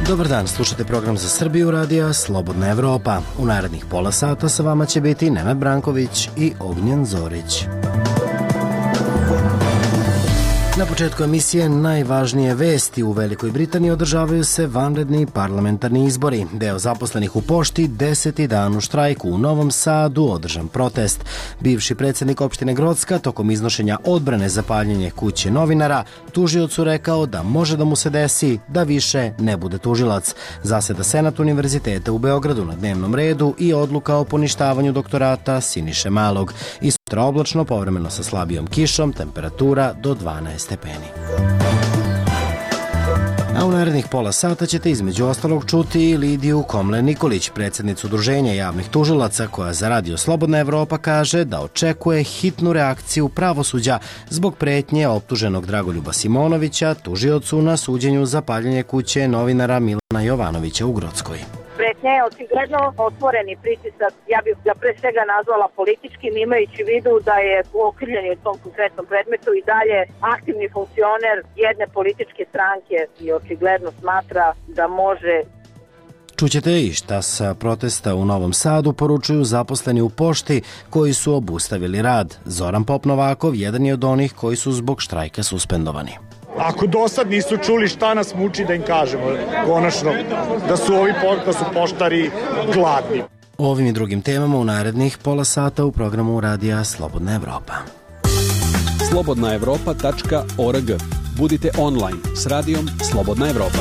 Dobar dan, slušate program za Srbiju radija Slobodna Evropa. U narednih pola sata sa vama će biti Nenad Branković i Ognjen Zorić. Na početku emisije najvažnije vesti. U Velikoj Britaniji održavaju se vanredni parlamentarni izbori. Deo zaposlenih u pošti 10. dan u štrajku. U Novom Sadu održan protest. Bivši predsjednik opštine Grocka tokom iznošenja odbrane za paljenje kuće novinara tužiocu rekao da može da mu se desi da više ne bude tužilac. Zaseda Senat Univerziteta u Beogradu na dnevnom redu i odluka o poništavanju doktorata Siniše Malog. I sutra oblačno, povremeno sa slabijom kišom, temperatura do 12 stepeni. A u narednih pola sata ćete između ostalog čuti i Lidiju Komlen-Nikolić, predsjednicu Udruženja javnih tužilaca, koja za radio Slobodna Evropa kaže da očekuje hitnu reakciju pravosuđa zbog pretnje optuženog Dragoljuba Simonovića tužiocu na suđenju za paljenje kuće novinara Milana Jovanovića u Grockoj. Pretnja je očigledno otvoreni pritisak, ja bih ga pre svega nazvala političkim, imajući u vidu da je okrivljeni u tom konkretnom predmetu i dalje aktivni funkcioner jedne političke stranke i očigledno smatra da može. Čućete i šta sa protesta u Novom Sadu poručuju zaposleni u pošti koji su obustavili rad. Zoran Pop-Novakov jedan je od onih koji su zbog štrajka suspendovani. Ako do sad nisu čuli šta nas muči da im kažemo, konačno, da su poštari gladni. O ovim i drugim temama u narednih pola sata u programu radija Slobodna Evropa. slobodnaevropa.org. Budite online s radijom Slobodna Evropa.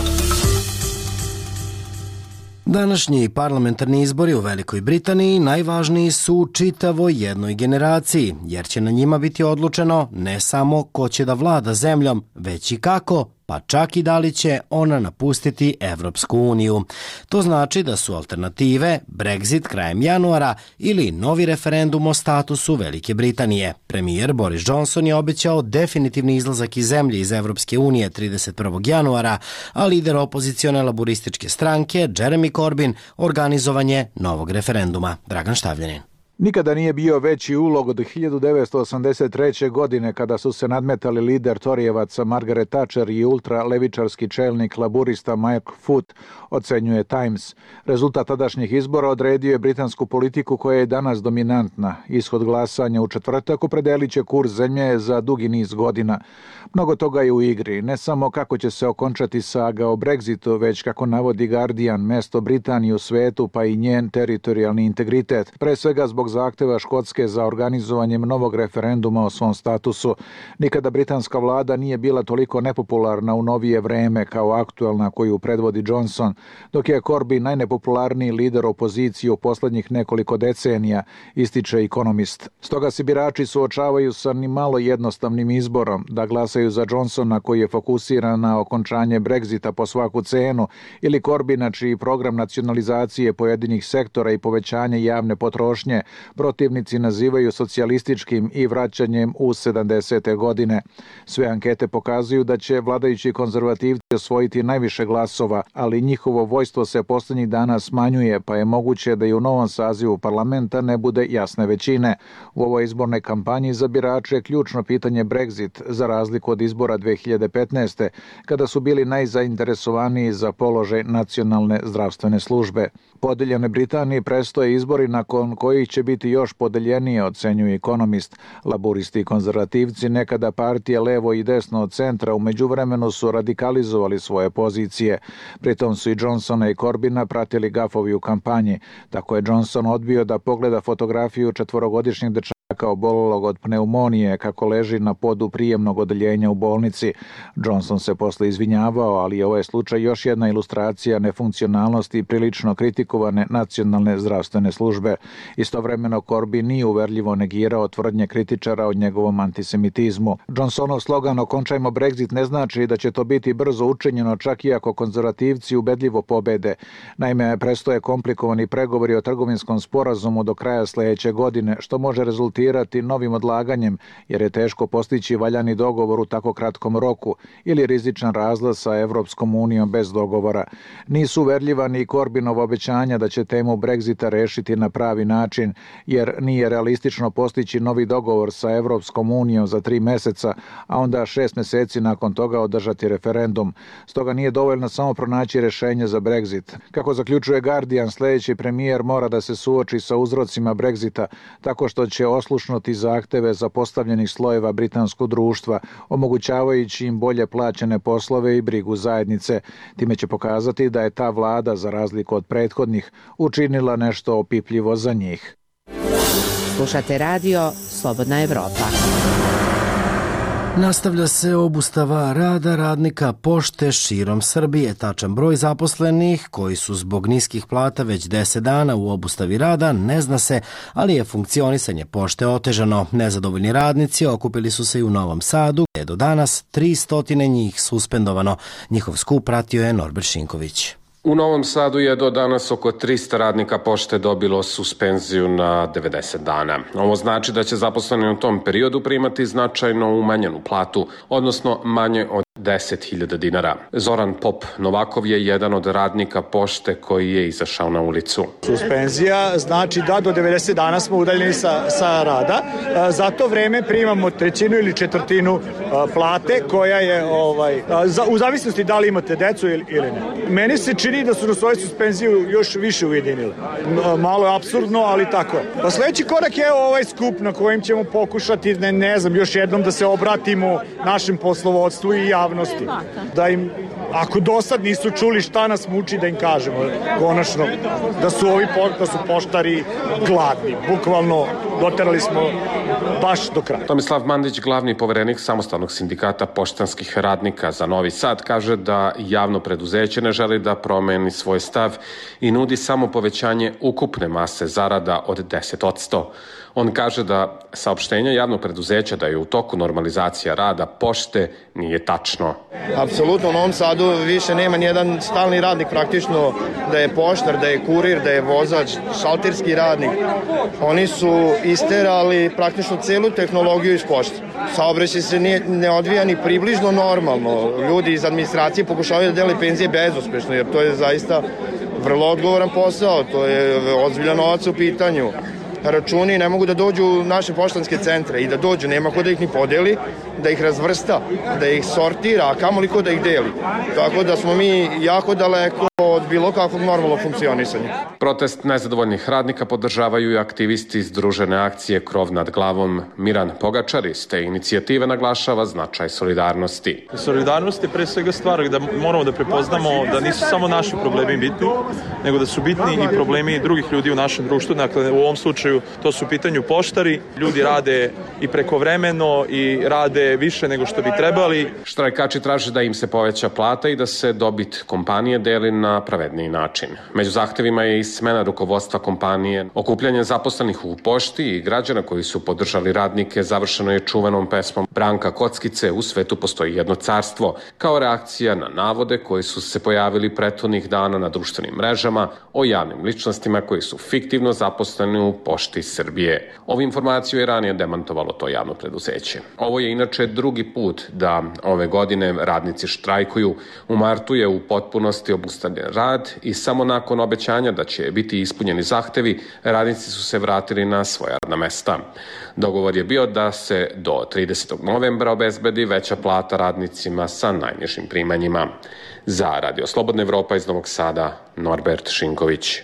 Današnji parlamentarni izbori u Velikoj Britaniji najvažniji su u čitavoj jednoj generaciji, jer će na njima biti odlučeno ne samo ko će da vlada zemljom, već i kako, pa čak i da li će ona napustiti Evropsku uniju. To znači da su alternative Brexit krajem januara ili novi referendum o statusu Velike Britanije. Premijer Boris Johnson je obećao definitivni izlazak iz zemlje iz Evropske unije 31. januara, a lider opozicione laburističke stranke Jeremy Corbyn organizovanje novog referenduma. Dragan Štavljanin. Nikada nije bio veći ulog od 1983. godine kada su se nadmetali lider Torijevaca Margaret Thatcher i ultralevičarski čelnik laburista Mike Foot, ocenjuje Times. Rezultat tadašnjih izbora odredio je britansku politiku koja je danas dominantna. Ishod glasanja u četvrtak opredelit će kurs zemlje za dugi niz godina. Mnogo toga je u igri, ne samo kako će se okončati saga o Brexitu, već kako navodi Guardian, mesto Britanije u svetu pa i njen teritorijalni integritet. Pre svega zbog zahteva Škotske za organizovanjem novog referenduma o svom statusu. Nikada britanska vlada nije bila toliko nepopularna u novije vreme kao aktualna koju predvodi Johnson, dok je Corbyn najnepopularniji lider opozicije u poslednjih nekoliko decenija, ističe Economist. Stoga se birači suočavaju sa ni malo jednostavnim izborom da glasaju za Johnsona koji je fokusiran na okončanje Brexita po svaku cenu ili Corbyna čiji program nacionalizacije pojedinih sektora i povećanje javne potrošnje protivnici nazivaju socijalističkim i vraćanjem u 70. godine. Sve ankete pokazuju da će vladajući konzervativci osvojiti najviše glasova, ali njihovo vojstvo se poslednjih dana smanjuje, pa je moguće da i u novom sazivu parlamenta ne bude jasne većine. U ovoj izbornoj kampanji za birače je ključno pitanje Brexit, za razliku od izbora 2015. kada su bili najzainteresovaniji za položaj nacionalne zdravstvene službe. Podeljene Britanije prestoje izbori nakon kojih će biti još podeljenije, ocenjuje Economist. Laburisti i konzervativci, nekada partije levo i desno od centra, u međuvremenu su radikalizovali svoje pozicije. Pritom su i Johnsona i Corbyna pratili gafovi u kampanji. Tako je Johnson odbio da pogleda fotografiju četvorogodišnjeg dečaka obolelog od pneumonije kako leži na podu prijemnog odeljenja u bolnici. Johnson se posle izvinjavao, ali je ovaj slučaj još jedna ilustracija nefunkcionalnosti i prilično kritikovane nacionalne zdravstvene službe. Istovremeno Corbyn nije uverljivo negirao tvrdnje kritičara o njegovom antisemitizmu. Johnsonov slogan "Okončajmo Brexit" ne znači da će to biti brzo učinjeno, čak i ako konzervativci ubedljivo pobede. Naime, prestoje komplikovani pregovori o trgovinskom sporazumu do kraja sledeće godine, što može rezultirati argumentirati novim odlaganjem, jer je teško postići valjani dogovor u tako kratkom roku ili rizičan razlaz sa Evropskom unijom bez dogovora. Nisu uverljiva ni Corbynova obećanja da će temu Brexita rešiti na pravi način, jer nije realistično postići novi dogovor sa Evropskom unijom za 3 meseca, a onda 6 meseci nakon toga održati referendum. Stoga nije dovoljno samo pronaći rešenje za Brexit. Kako zaključuje Guardian, sljedeći premijer mora da se suoči sa uzrocima Brexita tako što će oslušnuti zahteve zapostavljenih slojeva britanskog društva, omogućavajući im bolje plaćene poslove i brigu zajednice. Time će pokazati da je ta vlada, za razliku od prethodnih, učinila nešto opipljivo za njih. Slušate radio Slobodna Evropa. Nastavlja se obustava rada radnika pošte širom Srbije. Tačan broj zaposlenih koji su zbog niskih plata već 10 dana u obustavi rada ne zna se, ali je funkcionisanje pošte otežano. Nezadovoljni radnici okupili su se i u Novom Sadu, gdje je do danas 300 njih suspendovano. Njihov skup pratio je Norbert Šinković. U Novom Sadu je do danas oko 300 radnika pošte dobilo suspenziju na 90 dana. Ovo znači da će zaposleni u tom periodu primati značajno umanjenu platu, odnosno manje od 10.000 dinara. Zoran Pop Novakov je jedan od radnika pošte koji je izašao na ulicu. Suspenzija znači da do 90 dana smo udaljeni sa rada. Za to vreme primamo 1/3 ili 1/4 plate koja je u zavisnosti da li imate decu ili ne. Meni se čini da su na svoju suspenziju još više ujedinili. Malo je apsurdno, ali tako je. Pa sledeći korak je ovaj skup na kojem ćemo pokušati, ne znam, još jednom da se obratimo našem poslovodstvu i javnosti. Da im, ako do sad nisu čuli šta nas muči, da im kažemo konačno da su poštari gladni. Bukvalno doterali smo baš do kraja. Tomislav Mandić, glavni poverenik Samostalnog sindikata poštanskih radnika za Novi Sad, kaže da javno preduzeće ne želi da promeni svoj stav i nudi samo povećanje ukupne mase zarada od 10%. On kaže da saopštenje javnog preduzeća da je u toku normalizacija rada pošte nije tačno. Apsolutno u Novom Sadu više nema nijedan stalni radnik, praktično da je poštar, da je kurir, da je vozač, šalterski radnik. Oni su isterali praktično celu tehnologiju iz pošte. Saobraćaj se ne odvija ni približno normalno. Ljudi iz administracije pokušavaju da dele penzije bezuspešno, jer to je zaista vrlo odgovoran posao, to je ozbiljan novac u pitanju. Računi ne mogu da dođu u naše poštanske centre i da dođu, nema ko da ih ni podeli, da ih razvrsta, da ih sortira, a kamoli ko da ih deli. Tako da smo mi jako daleko od bilo kakvog normalnog funkcionisanja. Protest nezadovoljnih radnika podržavaju i aktivisti Združene akcije Krov nad glavom. Miran Pogačar iz te inicijative naglašava značaj solidarnosti. Solidarnost je pre svega stvar da moramo da prepoznamo da nisu samo naši problemi bitni, nego da su bitni i problemi drugih ljudi u našem društvu. Dakle, u ovom slučaju to su u pitanju poštari. Ljudi rade i prekovremeno i rade više nego što bi trebali. Štrajkači traže da im se poveća plata i da se dobit kompanije deli na pravedniji način. Među zahtevima je i smena rukovodstva kompanije. Okupljanje zaposlenih u pošti i građana koji su podržali radnike završeno je čuvenom pesmom Branka Kockice "U svetu postoji jedno carstvo", kao reakcija na navode koji su se pojavili prethodnih dana na društvenim mrežama o javnim ličnostima koji su fiktivno zaposleni u Pošti Srbije. Ovu informaciju je ranije demantovalo to javno preduzeće. Ovo je inače drugi put da ove godine radnici štrajkuju. U martu je u potpunosti obustavljen rad i samo nakon obećanja da će biti ispunjeni zahtevi, radnici su se vratili na svoja radna mesta. Dogovor je bio da se do 30. novembra obezbedi veća plata radnicima sa najnižim primanjima. Za Radio Slobodna Evropa iz Novog Sada, Norbert Šinković.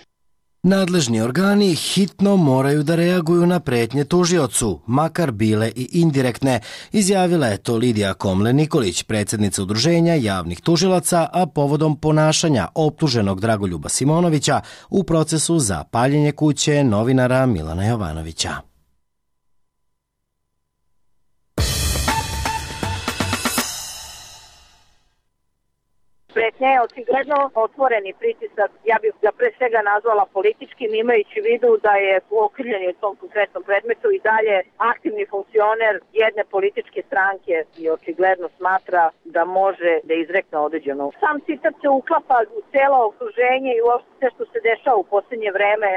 Nadležni organi hitno moraju da reaguju na pretnje tužiocu, makar bile i indirektne, izjavila je to Lidija Komle-Nikolić, predsjednica Udruženja javnih tužilaca, a povodom ponašanja optuženog Dragoljuba Simonovića u procesu za paljenje kuće novinara Milana Jovanovića. Pretnja je očigledno otvoreni pritisak, ja bih ga pre svega nazvala političkim, imajući u vidu da je okrivljeni u tom konkretnom predmetu i dalje aktivni funkcioner jedne političke stranke i očigledno smatra da može da izrekne određeno. Sam citat se uklapa u celo okruženje i uopšte sve što se dešava u posljednje vreme.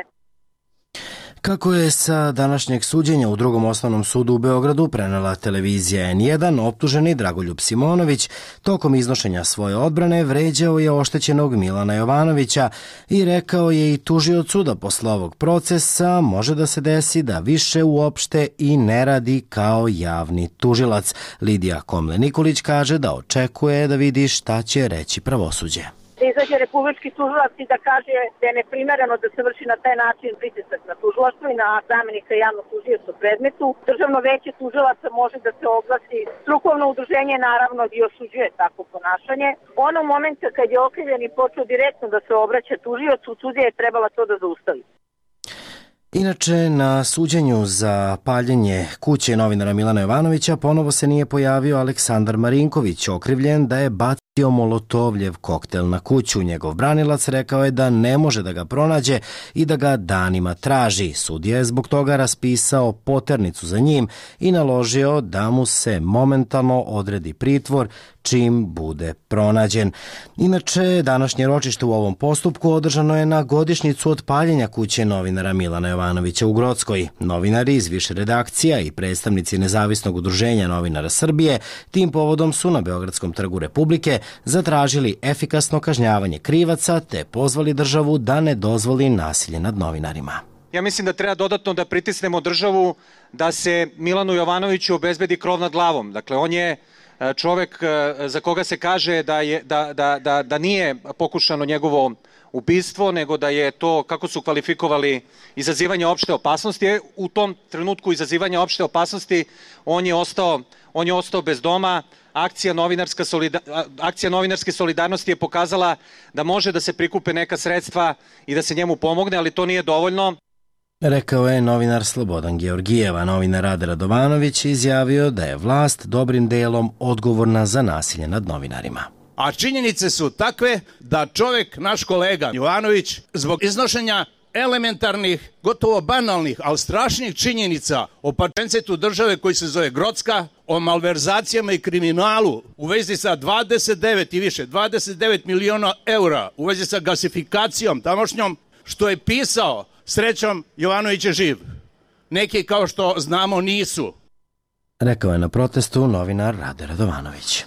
Kako je sa današnjeg suđenja u Drugom osnovnom sudu u Beogradu prenela televizija N1, optuženi Dragoljub Simonović tokom iznošenja svoje odbrane vređao je oštećenog Milana Jovanovića i rekao je i tužiocu da posle ovog procesa može da se desi da više uopšte i ne radi kao javni tužilac. Lidija Komle-Nikolić kaže da očekuje da vidi šta će reći pravosuđe. Da izađe republički tužilac i da kaže da je neprimereno da se vrši na taj način pritisak na tužilaštvo i na zamenika javnog tužioca u predmetu. Državno veće tužilaca može da se oglasi. Strukovno udruženje naravno i osuđuje takvo ponašanje. Onog momenta kad je okrivljeni počeo direktno da se obraća tužiocu, sudija je trebala to da zaustavi. Inače, na suđenju za paljenje kuće novinara Milana Jovanovića ponovo se nije pojavio Aleksandar Marinković, okrivljen da je bacio molotovljev koktel na kuću. Njegov branilac rekao je da ne može da ga pronađe i da ga danima traži. Sudija je zbog toga raspisao poternicu za njim i naložio da mu se momentalno odredi pritvor čim bude pronađen. Inače, današnje ročište u ovom postupku održano je na godišnjicu od paljenja kuće novinara Milana Jovanovića u Grockoj. Novinari iz više redakcija i predstavnici Nezavisnog udruženja novinara Srbije tim povodom su na Beogradskom trgu Republike zatražili efikasno kažnjavanje krivaca te pozvali državu da ne dozvoli nasilje nad novinarima. Ja mislim da treba dodatno da pritisnemo državu da se Milanu Jovanoviću obezbedi krov nad glavom. Dakle, on je čovek za koga se kaže da nije pokušano njegovo ubistvo, nego da je to, kako su kvalifikovali, izazivanje opšte opasnosti. U tom trenutku izazivanja opšte opasnosti on je ostao bez doma. Akcija novinarske solidarnosti je pokazala da može da se prikupe neka sredstva i da se njemu pomogne, ali to nije dovoljno. Rekao je novinar Slobodan Georgijeva. Novinar Rade Radovanović izjavio da je vlast dobrim delom odgovorna za nasilje nad novinarima. A činjenice su takve da čovjek, naš kolega Jovanović, zbog iznošenja elementarnih, gotovo banalnih, ali strašnih činjenica o pačencetu države koji se zove Grocka, o malverzacijama i kriminalu u vezi sa 29 miliona eura, u vezi sa gasifikacijom tamošnjom, što je pisao, srećom Jovanović je živ. Neki, kao što znamo, nisu. Rekao je na protestu novinar Rade Radovanović.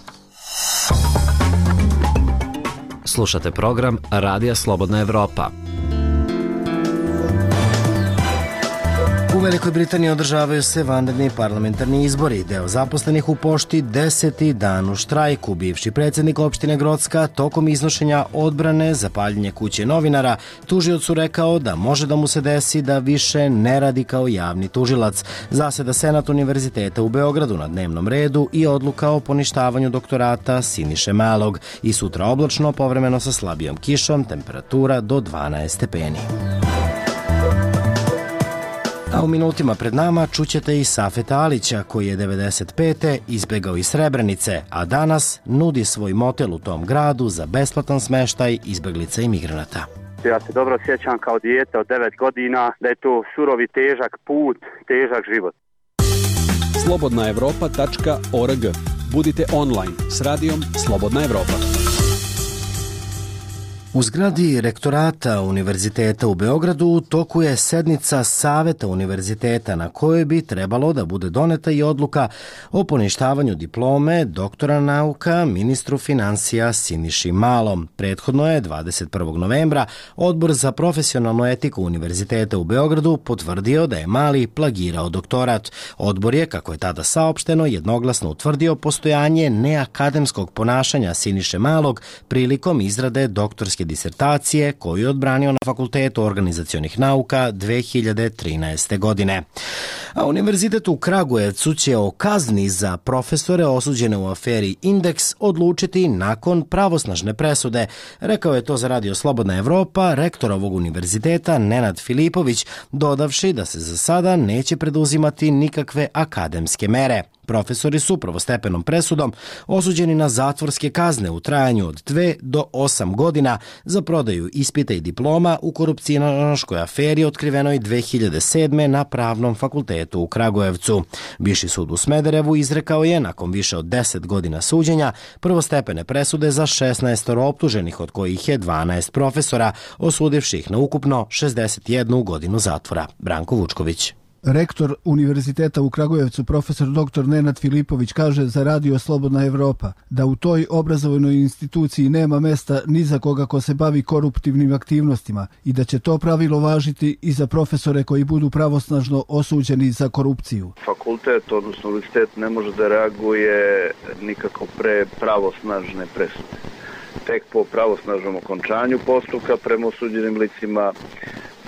Slušate program Radija Slobodna Evropa. U Velikoj Britaniji održavaju se vanredni parlamentarni izbori. Deo zaposlenih u pošti 10. dan u štrajku. Bivši predsjednik opštine Grocka tokom iznošenja odbrane za paljenje kuće novinara tužiocu rekao da može da mu se desi da više ne radi kao javni tužilac. Zaseda Senat Univerziteta u Beogradu na dnevnom redu i odluka o poništavanju doktorata Siniše Malog. I sutra oblačno, povremeno sa slabijom kišom, temperatura do 12 stepeni. A u minutima pred nama čućete i Safeta Alića, koji je 95. izbegao iz Srebrenice, a danas nudi svoj motel u tom gradu za besplatan smeštaj izbeglica i migranata. Ja se dobro sjećam kao dijete od 9 godina da je to surovi težak put, težak život. slobodnaevropa.org. Budite online s radijom Slobodna Evropa. U zgradi rektorata Univerziteta u Beogradu u toku je sednica Saveta Univerziteta na kojoj bi trebalo da bude doneta i odluka o poništavanju diplome doktora nauka ministru finansija Siniši Malom. Prethodno je 21. novembra Odbor za profesionalnu etiku Univerziteta u Beogradu potvrdio da je Mali plagirao doktorat. Odbor je, kako je tada saopšteno, jednoglasno utvrdio postojanje neakademskog ponašanja Siniše Malog prilikom izrade doktorske disertacije koju je odbranio na Fakultetu organizacionih nauka 2013. godine. A Univerzitet u Kragujevcu će o kazni za profesore osuđene u aferi Indeks odlučiti nakon pravosnažne presude. Rekao je to za Radio Slobodna Evropa rektor ovog univerziteta Nenad Filipović, dodavši da se za sada neće preduzimati nikakve akademske mere. Profesori su prvostepenom presudom osuđeni na zatvorske kazne u trajanju od 2 do 8 godina za prodaju ispita i diploma u korupcionaškoj aferi otkrivenoj 2007. na Pravnom fakultetu u Kragujevcu. Viši sud u Smederevu izrekao je, nakon više od 10 godina suđenja, prvostepene presude za 16 optuženih, od kojih je 12 profesora, osudivših na ukupno 61 godinu zatvora. Branko Vučković. Rektor Univerziteta u Kragujevcu, profesor dr. Nenad Filipović, kaže za Radio Slobodna Evropa da u toj obrazovnoj instituciji nema mesta ni za koga ko se bavi koruptivnim aktivnostima i da će to pravilo važiti i za profesore koji budu pravosnažno osuđeni za korupciju. Fakultet, odnosno univerzitet, ne može da reaguje nikako pre pravosnažne presude. Tek po pravosnažnom okončanju postupka prema osuđenim licima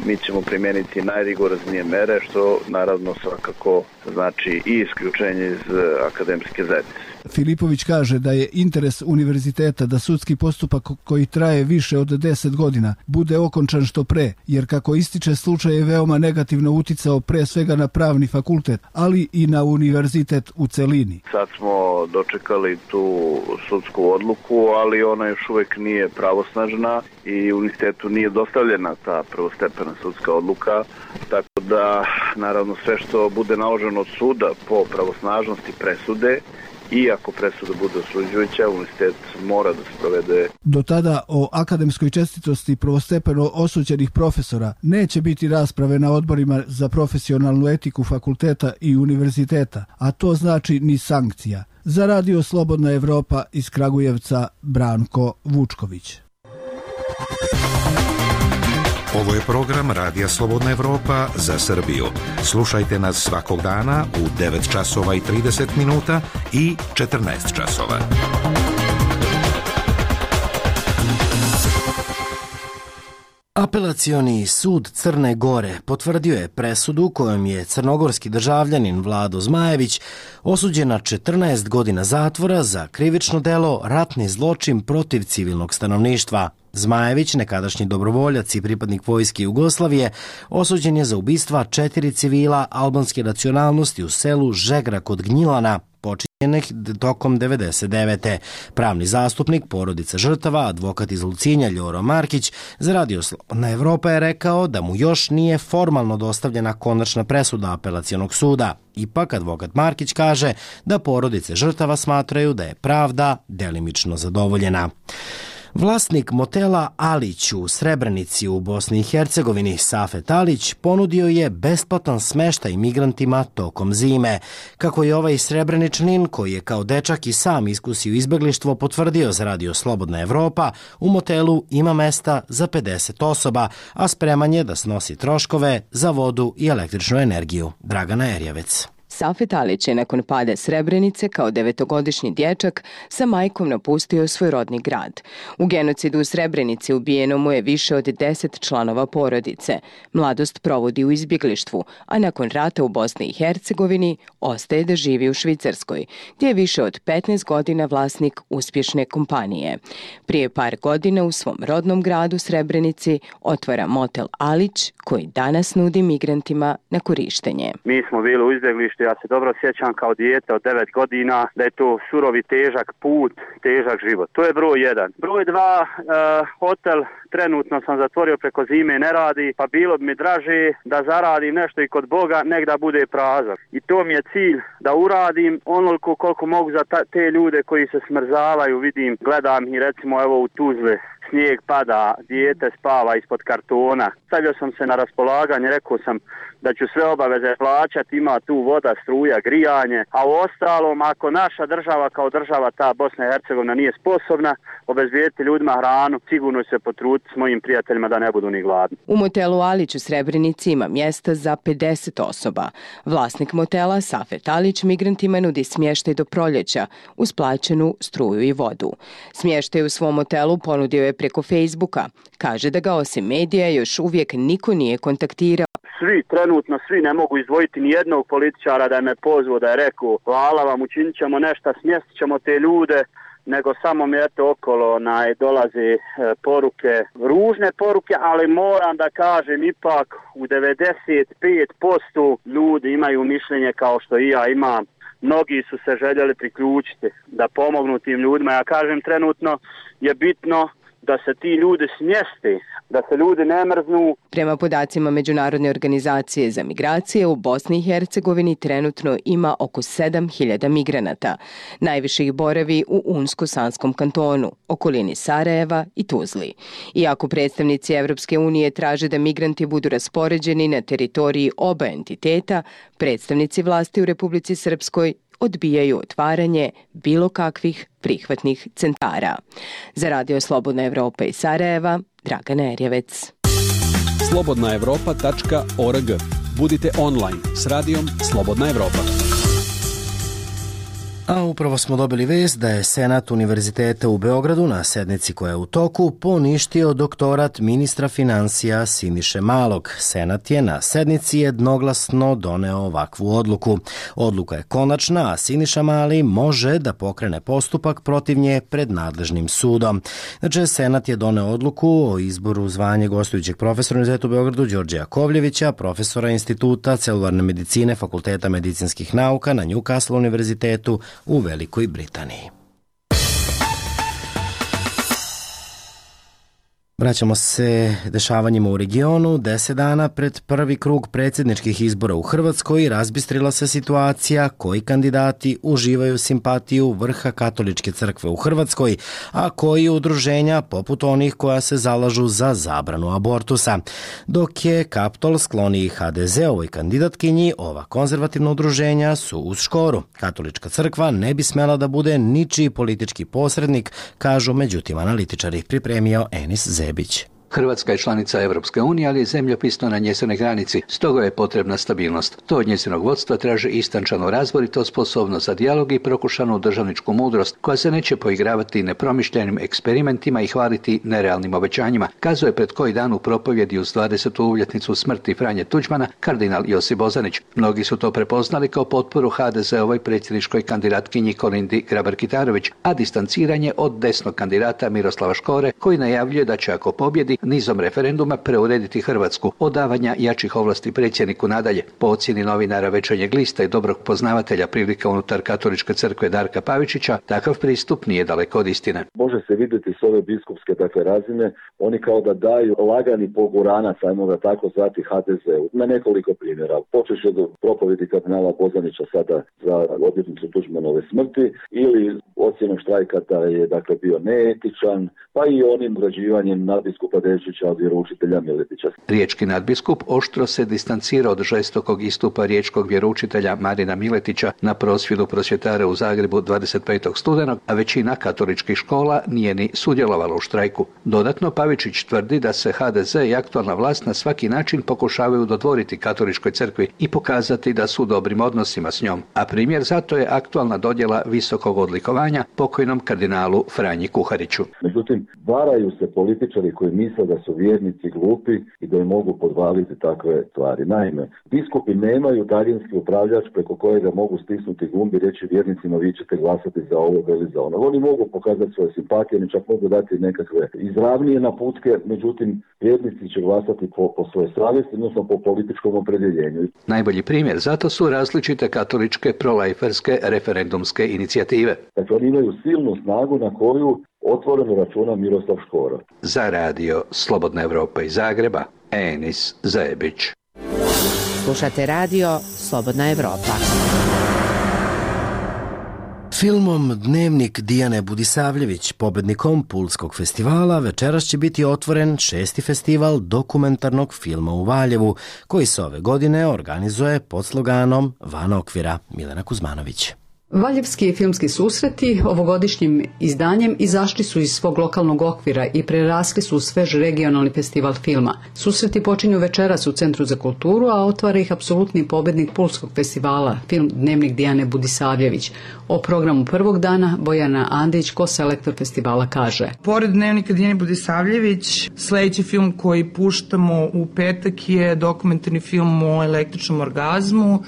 mi ćemo primijeniti najrigoroznije mere, što naravno svakako znači i isključenje iz akademske zajednice. Filipović kaže da je interes univerziteta da sudski postupak koji traje više od 10 godina bude okončan što pre, jer kako ističe, slučaj je veoma negativno uticao pre svega na pravni fakultet, ali i na univerzitet u celini. Sad smo dočekali tu sudsku odluku, ali ona još uvek nije pravosnažna i univerzitetu nije dostavljena ta prvostepena sudska odluka, tako da naravno sve što bude naloženo od suda po pravosnažnosti presude, i ako presuda bude osuđujuća, univerzitet mora da se provede. Do tada o akademskoj čestitosti prvostepeno osuđenih profesora neće biti rasprave na odborima za profesionalnu etiku fakulteta i univerziteta, a to znači ni sankcija. Za Radio Slobodna Evropa iz Kragujevca, Branko Vučković. Ovo je program Radija Slobodna Evropa za Srbiju. Slušajte nas svakog dana u 9 časova i 30 minuta i 14 časova. Apelacioni sud Crne Gore potvrdio je presudu kojom je crnogorski državljanin Vlado Zmajević osuđen na 14 godina zatvora za krivično delo ratni zločin protiv civilnog stanovništva. Zmajević, nekadašnji dobrovoljac i pripadnik vojske Jugoslavije, osuđen je za ubistva 4 civila albanske nacionalnosti u selu Žegra kod Gnjilana, počinjenih tokom 99. Pravni zastupnik porodica žrtava, advokat iz Lucinja Ljoro Markić, za Radio Slobodna Evropa je rekao da mu još nije formalno dostavljena konačna presuda apelacionog suda. Ipak, advokat Markić kaže da porodice žrtava smatraju da je pravda delimično zadovoljena. Vlasnik motela Alić u Srebrenici u Bosni i Hercegovini, Safet Alić, ponudio je besplatan smeštaj migrantima tokom zime. Kako je ovaj Srebreničanin, koji je kao dečak i sam iskusio izbeglištvo, potvrdio za Radio Slobodna Evropa, u motelu ima mesta za 50 osoba, a spreman je da snosi troškove za vodu i električnu energiju. Dragana Erjavec. Safet Alić je nakon pada Srebrenice kao 9-godišnji dječak sa majkom napustio svoj rodni grad. U genocidu u Srebrenici ubijeno mu je više od 10 članova porodice. Mladost provodi u izbjeglištvu, a nakon rata u Bosni i Hercegovini ostaje da živi u Švicarskoj, gdje je više od 15 godina vlasnik uspješne kompanije. Prije par godina u svom rodnom gradu Srebrenici otvara motel Alić, koji danas nudi migrantima na korištenje. Mi smo bili u izbjeglištu. Ja se dobro sjećam kao dijete od 9 godina da je to surovi težak put, težak život. To je broj 1. Broj 2, hotel trenutno sam zatvorio preko zime, ne radi, pa bilo bi mi draže da zaradim nešto i kod Boga, nek da bude prazan. I to mi je cilj, da uradim onoliko koliko mogu za te ljude koji se smrzavaju, vidim, gledam i recimo evo u Tuzli. Snijeg pada, dijete spava ispod kartona. Stavio sam se na raspolaganje, rekao sam da ću sve obaveze plaćati, ima tu voda, struja, grijanje, a u ostalom, ako naša država kao država, ta Bosna i Hercegovina, nije sposobna obezbijediti ljudima hranu, sigurno se potruditi s mojim prijateljima da ne budu ni gladni. U motelu Alić u Srebrenici ima mjesta za 50 osoba. Vlasnik motela, Safet Alić, migrantima nudi smještaj do proljeća uz plaćenu struju i vodu. Smještaj u svom motelu ponudio je preko Facebooka. Kaže da ga osim medija još uvijek niko nije kontaktirao. Trenutno svi ne mogu izdvojiti ni jednog političara da je me pozvao, da je rekao hvala vam, učinit ćemo nešto, smjestit ćemo te ljude, nego samo mi eto okolo dolaze poruke, ružne poruke, ali moram da kažem ipak u 95% ljudi imaju mišljenje kao što i ja imam, mnogi su se željeli priključiti da pomognu tim ljudima. Ja kažem, trenutno je bitno da se ti ljudi smjesti, da se ljudi ne mrznu. Prema podacima Međunarodne organizacije za migracije, u Bosni i Hercegovini trenutno ima oko 7.000 migranata. Najviše ih boravi u Unsko-Sanskom kantonu, okolini Sarajeva i Tuzli. Iako predstavnici Evropske unije traže da migranti budu raspoređeni na teritoriji oba entiteta, predstavnici vlasti u Republici Srpskoj odbijaju otvaranje bilo kakvih prihvatnih centara. Za Radio Slobodna Evropa iz Sarajeva, Dragana Erjevec. slobodnaevropa.org. Budite online s radijom Slobodna Evropa. A upravo smo dobili vest da je Senat Univerziteta u Beogradu na sednici koja je u toku poništio doktorat ministra finansija Siniše Malog. Senat je na sednici jednoglasno doneo ovakvu odluku. Odluka je konačna, a Siniša Mali može da pokrene postupak protiv nje pred nadležnim sudom. Znači, Senat je doneo odluku o izboru zvanje gostujućeg profesora Univerziteta u Beogradu Đorđe Jakovljevića, profesora Instituta celularne medicine Fakulteta medicinskih nauka na Newcastle univerzitetu u Velikoj Britaniji. Vraćamo se dešavanjima u regionu. 10 dana pred prvi krug predsjedničkih izbora u Hrvatskoj razbistrila se situacija koji kandidati uživaju simpatiju vrha katoličke crkve u Hrvatskoj, a koji udruženja poput onih koja se zalažu za zabranu abortusa. Dok je Kaptol skloniji HDZ-ovoj kandidatkinji, ova konzervativna udruženja su uz škoru. Katolička crkva ne bi smela da bude ničiji politički posrednik, kažu međutim analitičari, pripremio Enis Zebić. Hrvatska je članica Evropske unije, ali je zemljopisno na njezinoj granici, stoga je potrebna stabilnost. To od njezinog vodstva traže istančanu razboritost, sposobnost za dijalog i prokušanu državničku mudrost, koja se neće poigravati nepromišljenim eksperimentima i hvaliti nerealnim obećanjima, kazuje pred koji dan u propovjedi uz 20. uvljetnicu smrti Franje Tuđmana kardinal Josip Bozanić. Mnogi su to prepoznali kao potporu HDZ-ovoj predsjedničkoj kandidatkinji Kolindi Grabar-Kitarović, a distanciranje od desnog kandidata Miroslava Škore, koji najavljuje da će ako pobjedi nizom referenduma preurediti Hrvatsku od davanja jačih ovlasti predsjedniku nadalje. Po ocjeni novinara Večernjeg lista i dobrog poznavatelja prilika unutar katoličke crkve Darka Pavičića, takav pristup nije daleko od istine. Može se vidjeti s ove biskupske razine, oni kao da daju lagani poguranac, ajmo ga tako zvati, HDZ-u. Na nekoliko primjera. Počeš od propovjedi kardinala Bozanića sada za obljetnicu Tuđmanove smrti ili ocjenom štrajka da je bio neetičan, pa i onim ugrađivanjem nadbiskupa Dešića od vjeroučitelja Miletića. Riječki nadbiskup oštro se distancira od žestokog istupa riječkog vjeroučitelja Marina Miletića na prosvjedu prosvjetara u Zagrebu 25. studenog, a većina katoličkih škola nije ni sudjelovala u štrajku. Dodatno, Pavičić tvrdi da se HDZ i aktualna vlast na svaki način pokušavaju dodvoriti katoličkoj crkvi i pokazati da su u dobrim odnosima s njom, a primjer zato je aktualna dodjela visokog odlikovanja pokojnom kardinalu Franji Kuhariću. Međutim, varaju se političari koji misle da su vjernici glupi i da im mogu podvaliti takve stvari. Naime, biskupi nemaju daljinski upravljač preko kojega mogu stisnuti gumb i reći vjernicima vi ćete glasati za ovo ili za ono. Oni mogu pokazati svoje simpatije, oni čak mogu dati nekakve izravnije naputke, međutim vjernici će glasati po svojoj savjesti, odnosno po političkom opredjeljenju. Najbolji primjer zato su različite katoličke prolajferske referendumske inicijative. Dakle, oni imaju silnu snagu na koju otvoreno računa Miroslav Škoro. Za radio Slobodna Evropa iz Zagreba, Enis Zebić. Slušate radio Slobodna Evropa. Filmom Dnevnik Dijane Budisavljević, pobednikom Pulskog festivala, večeras će biti otvoren 6. festival dokumentarnog filma u Valjevu, koji se ove godine organizuje pod sloganom Van okvira. Milena Kuzmanović. Valjevski filmski susreti ovogodišnjim izdanjem izašli su iz svog lokalnog okvira i prerasli su u svež regionalni festival filma. Susreti počinju večeras u Centru za kulturu, a otvara ih apsolutni pobednik Pulskog festivala, film Dnevnik Dijane Budisavljević. O programu prvog dana Bojana Andić, koselektor festivala, kaže: Pored Dnevnika Dijane Budisavljević, sljedeći film koji puštamo u petak je dokumentarni film o električnom orgazmu,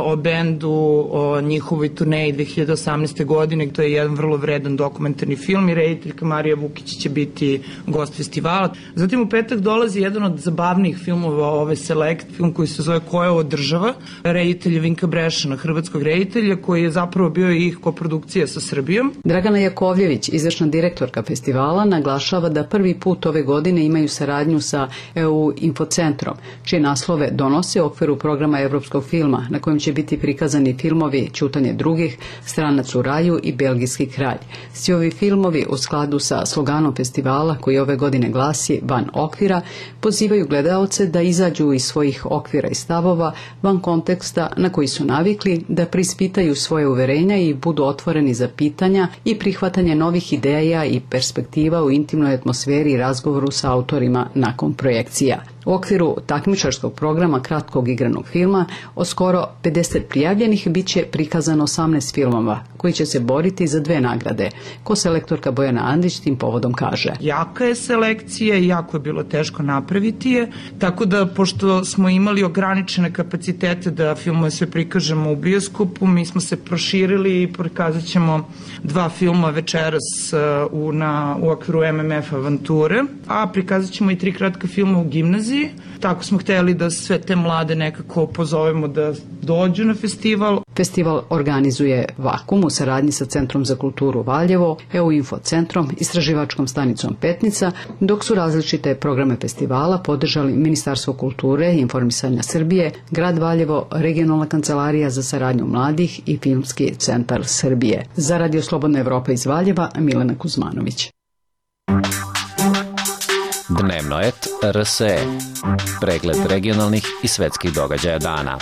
o bendu, o njihovoj turneji 2018. godine. To je jedan vrlo vredan dokumentarni film i rediteljka Marija Vukić će biti gost festivala. Zatim u petak dolazi jedan od zabavnijih filmova ove selekt, film koji se zove Ko je ovo država, reditelja Vinka Brešana, hrvatskog reditelja, koji je zapravo bio i koprodukcija sa Srbijom. Dragana Jakovljević, izvršna direktorka festivala, naglašava da prvi put ove godine imaju saradnju sa EU Infocentrom, čije naslove donose u okviru programa evropskog filma, na kojem će biti prikazani filmovi Ćutanje drugih, Stranac u raju i Belgijski kralj. Svi ovi filmovi u skladu sa sloganom festivala, koji ove godine glasi Van okvira, pozivaju gledaoce da izađu iz svojih okvira i stavova, van konteksta na koji su navikli, da prispitaju svoje uverenja i budu otvoreni za pitanja i prihvatanje novih ideja i perspektiva u intimnoj atmosferi i razgovoru sa autorima nakon projekcija. U okviru takmičarskog programa kratkog igranog filma od skoro 50 prijavljenih biće prikazano 18 filmova koji će se boriti za 2 nagrade. Koselektorka Bojana Andić tim povodom kaže: Jaka je selekcija i jako je bilo teško napraviti je, tako da pošto smo imali ograničene kapacitete da filmove sve prikažemo u bioskopu, mi smo se proširili i prikazat ćemo 2 filma večeras u okviru MMF Avanture, a prikazat ćemo i 3 kratka filma u gimnaziji. Tako smo hteli da sve te mlade nekako pozovemo da dođu na festival. Festival organizuje Vakum u saradnji sa Centrom za kulturu Valjevo, EU Infocentrom, istraživačkom stanicom Petnica, dok su različite programe festivala podržali Ministarstvo kulture i informisanja Srbije, Grad Valjevo, Regionalna kancelarija za saradnju mladih i Filmski centar Srbije. Za Radio Slobodna Evropa iz Valjeva, Milena Kuzmanović. Dnevno et RSE. Pregled regionalnih i svetskih događaja dana.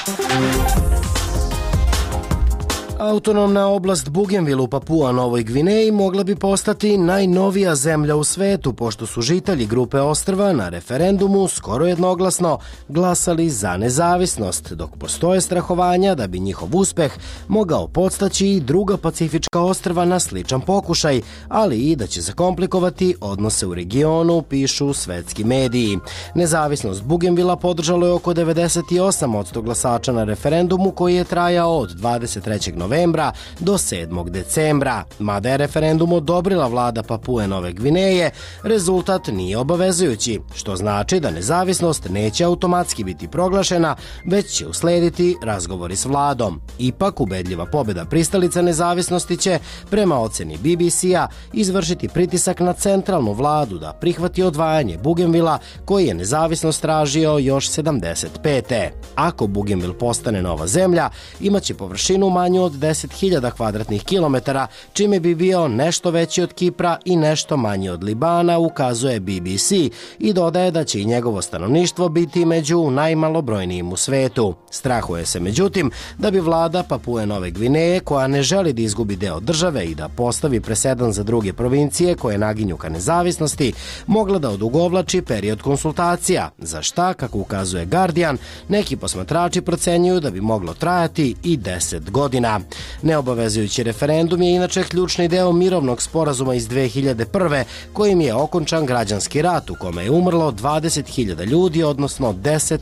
Autonomna oblast Bougainville u Papua Novoj Gvineji mogla bi postati najnovija zemlja u svetu, pošto su žitelji grupe ostrva na referendumu skoro jednoglasno glasali za nezavisnost, dok postoje strahovanja da bi njihov uspeh mogao podstaći i druga pacifička ostrva na sličan pokušaj, ali i da će zakomplikovati odnose u regionu, pišu svetski mediji. Nezavisnost Bougainvillea podržalo je oko 98% glasača na referendumu koji je trajao od 23. novembra do 7. decembra. Mada je referendum odobrila vlada Papue Nove Gvineje, rezultat nije obavezujući, što znači da nezavisnost neće automatski biti proglašena, već će uslediti razgovori s vladom. Ipak, ubedljiva pobjeda pristalica nezavisnosti će, prema oceni BBC-a, izvršiti pritisak na centralnu vladu da prihvati odvajanje Bougainvillea, koji je nezavisnost tražio još 75. Ako Bougainville postane nova zemlja, imaće površinu manju od 10.000 kvadratnih kilometara, čime bi bio nešto veći od Kipra i nešto manji od Libana, ukazuje BBC, i dodaje da će i njegovo stanovništvo biti među najmalobrojnijim u svetu. Strahuje se, međutim, da bi vlada Papue Nove Gvineje, koja ne želi da izgubi deo države i da postavi presedan za druge provincije koje naginju ka nezavisnosti, mogla da odugovlači period konsultacija, za šta, kako ukazuje Guardian, neki posmatrači procenjuju da bi moglo trajati i 10 godina. Neobavezujući referendum je inače ključni deo mirovnog sporazuma iz 2001. kojim je okončan građanski rat u kome je umrlo 20.000 ljudi, odnosno 10%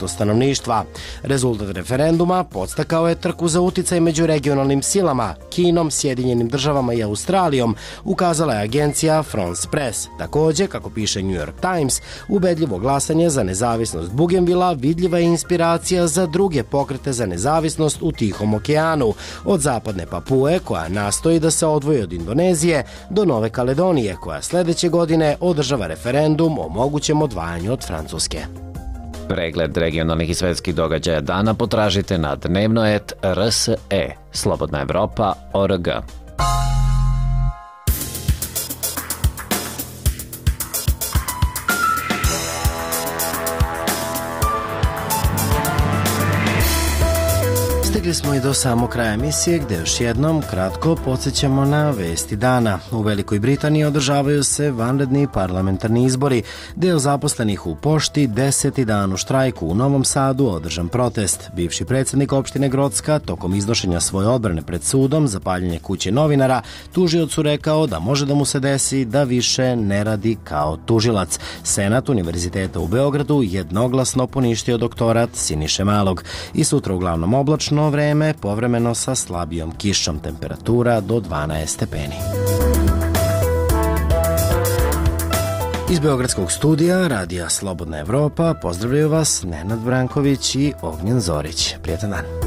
stanovništva. Rezultat referenduma podstakao je trku za uticaj među regionalnim silama, Kinom, Sjedinjenim državama i Australijom, ukazala je agencija France Press. Takođe, kako piše New York Times, ubedljivo glasanje za nezavisnost Bougainvillea vidljiva je inspiracija za druge pokrete za nezavisnost u Tihom okeanu, od zapadne Papue, koja nastoji da se odvoji od Indonezije, do Nove Kaledonije, koja sledeće godine održava referendum o mogućem odvajanju od Francuske. Pregled regionalnih i svetskih događaja dana potražite na dnevnoet.rse, Slobodna Evropa.org. Stigli smo i do samog kraja emisije gde još jednom kratko podsjećamo na vesti dana. U Velikoj Britaniji održavaju se vanredni parlamentarni izbori. Deo zaposlenih u pošti 10. dan u štrajku. U Novom Sadu održan protest. Bivši predsjednik opštine Grocka tokom iznošenja svoje odbrane pred sudom za paljenje kuće novinara tužiocu rekao da može da mu se desi da više ne radi kao tužilac. Senat Univerziteta u Beogradu jednoglasno poništio doktorat Siniše Malog. I sutra uglavnom oblačno vreme, povremeno sa slabijom kišom, temperatura do 12 stepeni. Iz Beogradskog studija Radija Slobodna Evropa pozdravljaju vas Nenad Branković i Ognjen Zorić. Prijetan dan.